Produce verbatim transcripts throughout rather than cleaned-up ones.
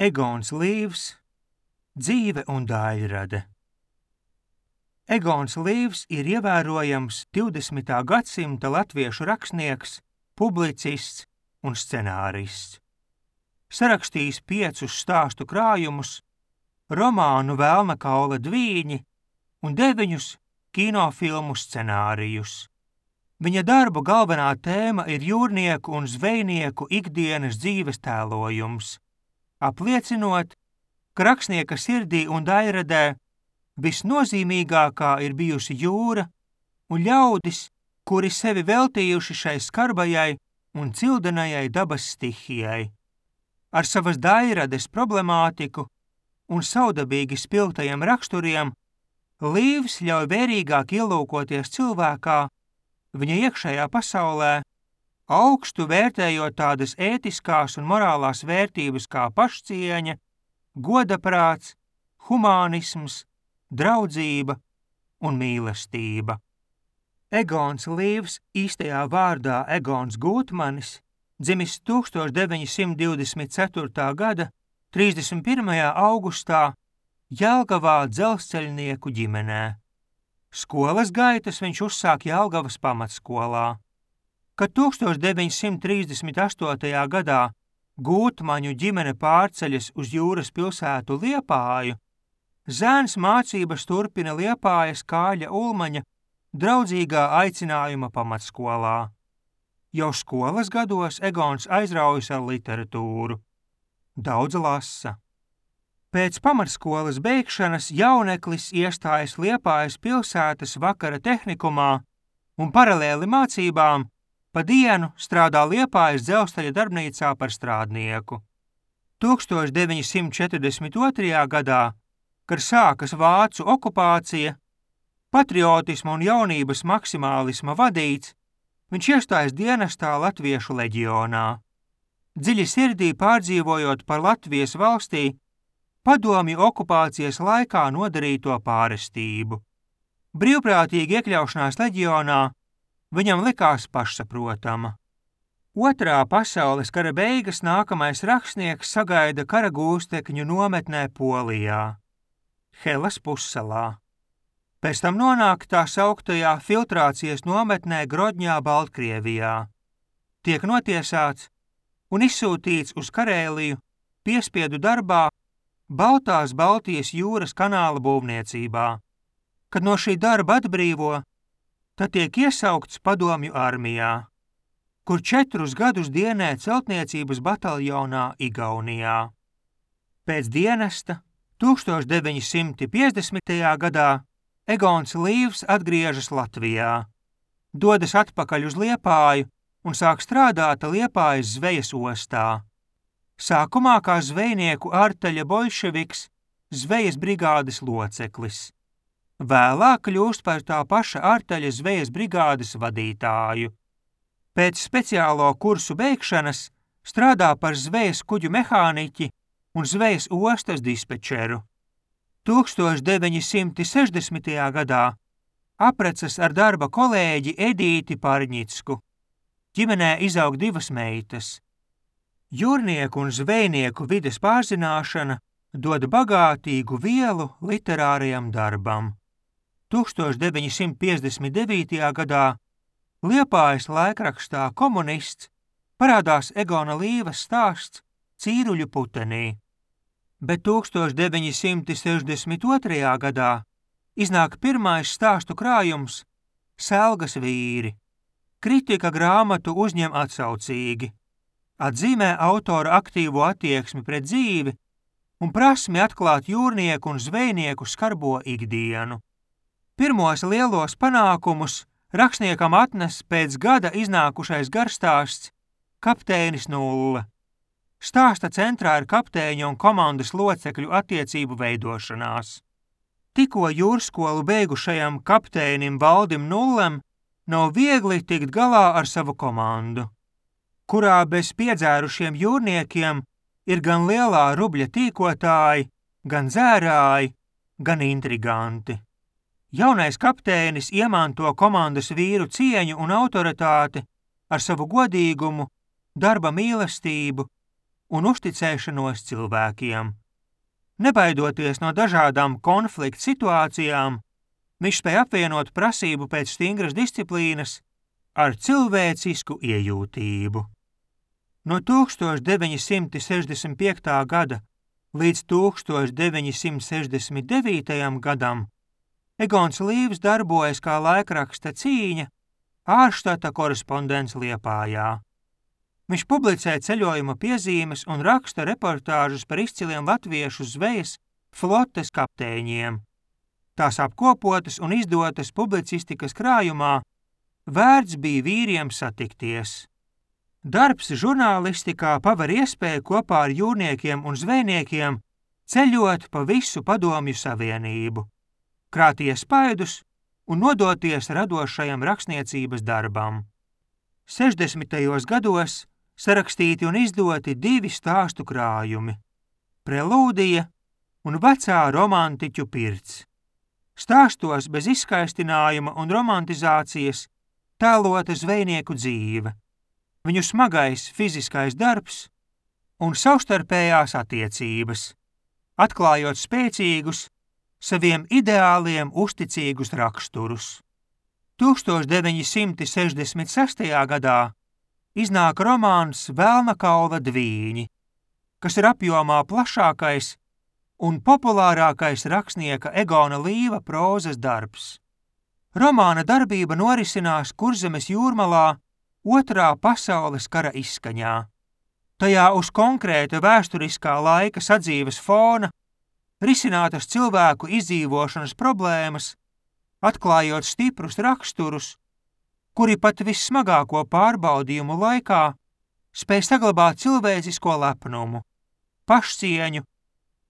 Egons Līvs, dzīve un daļrade. Egons Līvs ir ievērojams divdesmitā gadsimta latviešu rakstnieks, publicists un scenārists. Sarakstījis piecus stāstu krājumus, romānu Velna kaula dvīņi un deviņus kinofilmu scenārijus. Viņa darbu galvenā tēma ir jūrnieku un zvejnieku ikdienas dzīves tēlojums, apliecinot, ka rakstnieka sirdī un daļradē visnozīmīgākā ir bijusi jūra un ļaudis, kuri sevi veltījuši šai skarbajai un cildenajai dabas stihijai. Ar savas daļrades problemātiku un saudabīgi spilgtajiem raksturiem Līvs ļauj vērīgāk ielūkoties cilvēkā, viņa iekšējā pasaulē, augstu vērtējot tādas ētiskās un morālās vērtības kā pašcieņa, godaprāts, humānisms, draudzība un mīlestība. Egons Līvs, īstajā vārdā Egons Gūtmanis, dzimis tūkstoš deviņi simti divdesmit ceturtā gada trīsdesmit pirmajā augustā Jelgavā dzelzceļnieku ģimenē. Skolas gaitas viņš uzsāk Jelgavas pamatskolā. Kad tūkstoš deviņi simti trīsdesmit astotajā gadā Gūtmaņu ģimene pārceļas uz jūras pilsētu Liepāju, zēns mācības turpina Liepājas Kāļa Ulmaņa draudzīgā aicinājuma pamatskolā. Jau skolas gados Egons aizraujas ar literatūru. Daudz lasa. Pēc pamatskolas beigšanas jauneklis iestājas Liepājas pilsētas vakara tehnikumā un paralēli mācībām pa dienu strādā Liepājas dzelzceļa darbnīcā par strādnieku. tūkstoš deviņi simti četrdesmit otrajā gadā, kad sākas vācu okupācija, patriotisma un jaunības maksimālisma vadīts, viņš iestājas dienestā Latviešu leģionā. Dziļi sirdī pārdzīvojot par Latvijas valstī padomju okupācijas laikā nodarīto pārestību. Brīvprātīgi iekļaušanās leģionā viņam likās pašsaprotama. Otrā pasaules kara beigas nākamais rakstnieks sagaida kara gūstekņu nometnē Polijā, Helas pussalā. Pēc tam nonāk tā sauktajā filtrācijas nometnē Grodņā, Baltkrievijā. Tiek notiesāts un izsūtīts uz Karēliju piespiedu darbā Baltās Baltijas jūras kanāla būvniecībā. Kad no šī darba atbrīvo, tad tiek iesaukts padomju armijā, kur četrus gadus dienē celtniecības bataljonā Igaunijā. Pēc dienesta tūkstoš deviņi simti piecdesmitajā gadā Egons Līvs atgriežas Latvijā, dodas atpakaļ uz Liepāju un sāk strādāt Liepājas zvejas ostā. Sākumā kā zvejnieku ārtaļa boļševiks, zvejas brigādes loceklis. Vēlāk kļūst par tā paša ārtaļa zvejas brigādes vadītāju. Pēc speciālo kursu beigšanas strādā par zvejas kuģu mehāniķi un zvejas ostas dispečeru. tūkstoš deviņi simti sešdesmitajā gadā aprecas ar darba kolēģi Edīti Parņicku. Ģimenē izaug divas meitas. Jūrnieku un zvejnieku vides pārzināšana dod bagātīgu vielu literārajam darbam. tūkstoš deviņi simti piecdesmit devītajā gadā Liepājas laikrakstā Komunists parādās Egona Līva stāsts Cīruļu putenī, bet tūkstoš deviņi simti sešdesmit otrajā gadā iznāk pirmais stāstu krājums Selgas vīri. Kritika grāmatu uzņem atsaucīgi, atzīmē autora aktīvo attieksmi pret dzīvi un prasmi atklāt jūrnieku un zvejnieku skarbo ikdienu. Pirmos lielos panākumus rakstniekam atnes pēc gada iznākušais garstāsts Kapteinis Nulle. Stāsta centrā ir kapteiņa un komandas locekļu attiecību veidošanās. Tikko jūrskolu beigušajam kapteinim Valdim Nullem nav viegli tikt galā ar savu komandu, kurā bez piedzērušiem jūrniekiem ir gan lielā rubļa tīkotāji, gan dzērāji, gan intriganti. Jaunais kapteinis iemanto komandas vīru cieņu un autoritāti ar savu godīgumu, darba mīlestību un uzticēšanos cilvēkiem. Nebaidoties no dažādām konflikta situācijām, viņš spēja apvienot prasību pēc stingras disciplīnas ar cilvēcisku iejūtību. No tūkstoš deviņi simti sešdesmit piektā gada līdz tūkstoš deviņi simti sešdesmit devītajam gadam Egons Līvs darbojas kā laikraksta Cīņa ārštata korespondents Liepājā. Viņš publicē ceļojuma piezīmes un raksta reportāžus par izciliem latviešu zvejas flotes kapteiņiem. Tās apkopotas un izdotas publicistikas krājumā Vērts bija vīriem satikties. Darbs žurnālistikā paver iespēju kopā ar jūrniekiem un zvejniekiem ceļot pa visu Padomju Savienību, krāt iespaidus un nodoties radošajam rakstniecības darbam. sešdesmitajos gados sarakstīti un izdoti divi stāstu krājumi – Prelūdija un Vecā romantiķu pirts. Stāstos bez izskaistinājuma un romantizācijas tēlota zvejnieku dzīve, viņu smagais fiziskais darbs un savstarpējās attiecības, atklājot spēcīgus, saviem ideāliem uzticīgus raksturus. tūkstoš deviņi simti sešdesmit sestajā gadā iznāk romāns Velna kaula dvīņi, kas ir apjomā plašākais un populārākais rakstnieka Egona Līva prózas darbs. Romāna darbība norisinās Kurzemes jūrmalā Otrā pasaules kara izskaņā. Tajā uz konkrēta vēsturiskā laika sadzīves fona risinātas cilvēku izdzīvošanas problēmas, atklājot stiprus raksturus, kuri pat vissmagāko pārbaudījumu laikā spēj saglabāt cilvēcisko lepnumu, pašcieņu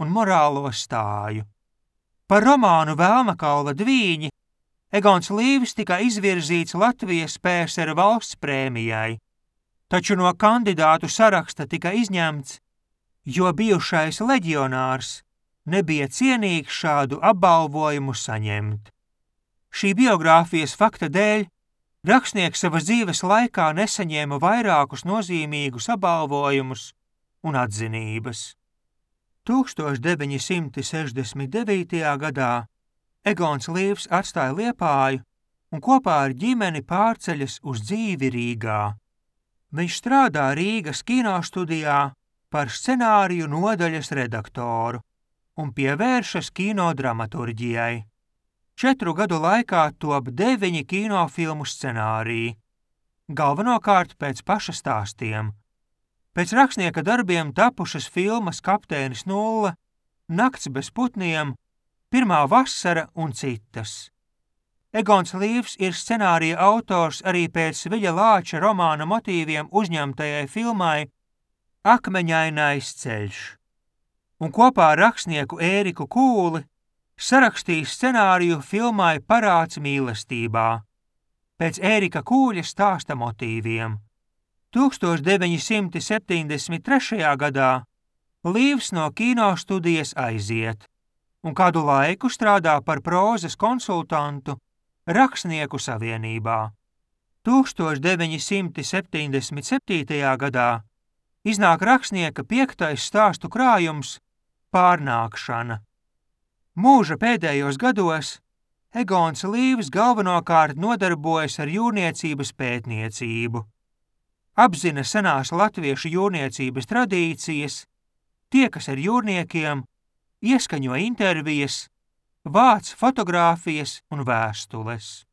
un morālo stāju. Par romānu Velna kaula dvīņi Egons Līvs tika izvirzīts Latvijas P S R valsts prēmijai, taču no kandidātu saraksta tika izņemts, jo bijušais leģionārs nebija cienīgs šādu apbalvojumu saņemt. Šī biogrāfijas fakta dēļ rakstnieks savas dzīves laikā nesaņēma vairākus nozīmīgus apbalvojumus un atzinības. tūkstoš deviņi simti sešdesmit devītajā gadā Egons Līvs atstāja Liepāju un kopā ar ģimeni pārceļas uz dzīvi Rīgā. Viņš strādā Rīgas kinostudijā par scenāriju nodaļas redaktoru un pievēršas kinodramaturģijai. Četru gadu laikā top deviņi kinofilmu scenāriji, galvenokārt pēc paša stāstiem. Pēc rakstnieka darbiem tapušas filmas Kapteinis Nulle, Nakts bez putniem, Pirmā vasara un citas. Egons Līvs ir scenārija autors arī pēc Viļa Lāča romāna motīviem uzņemtajai filmai Akmeņainais ceļš, un kopā ar rakstnieku Ēriku Kūli sarakstījis scenāriju filmai Parāds mīlestībā, pēc Ērika Kūļa stāsta motīviem. tūkstoš deviņi simti septiņdesmit trešajā gadā Līvs no kinostudijas aiziet un kādu laiku strādā par prózas konsultantu Rakstnieku savienībā. tūkstoš deviņi simti septiņdesmit septītajā gadā iznāk rakstnieka piektais stāstu krājums Pārnākšana. Mūža pēdējos gados Egons Līvs galvenokārt nodarbojas ar jūrniecības pētniecību. Apzina senās latviešu jūrniecības tradīcijas, tiekas ar jūrniekiem, ieskaņo intervijas, vāc fotogrāfijas un vēstules.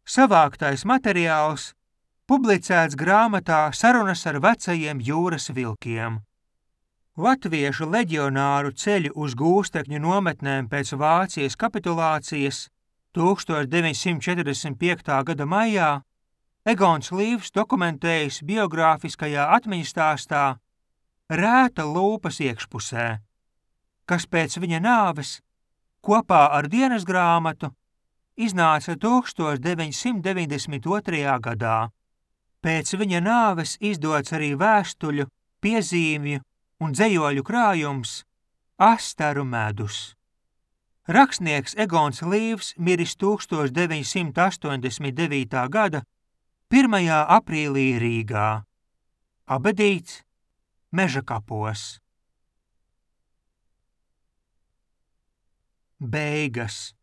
Savāktais materiāls publicēts grāmatā Sarunas ar vecajiem jūras vilkiem. Latviešu leģionāru ceļu uz gūstekņu nometnēm pēc Vācijas kapitulācijas tūkstoš deviņi simti četrdesmit piektā gada maijā Egons Līvs dokumentējis biogrāfiskajā atmiņastāstā Rēta lūpas iekšpusē, kas pēc viņa nāves kopā ar dienas grāmatu iznāca tūkstoš deviņi simti deviņdesmit otrajā gadā. Pēc viņa nāves izdots arī vēstuļu, piezīmju un dzejoļu krājums Astaru medus. Rakstnieks Egons Līvs miris tūkstoš deviņi simti astoņdesmit devītā gada pirmajā aprīlī Rīgā. Abedīts Mežakapos. Beigas.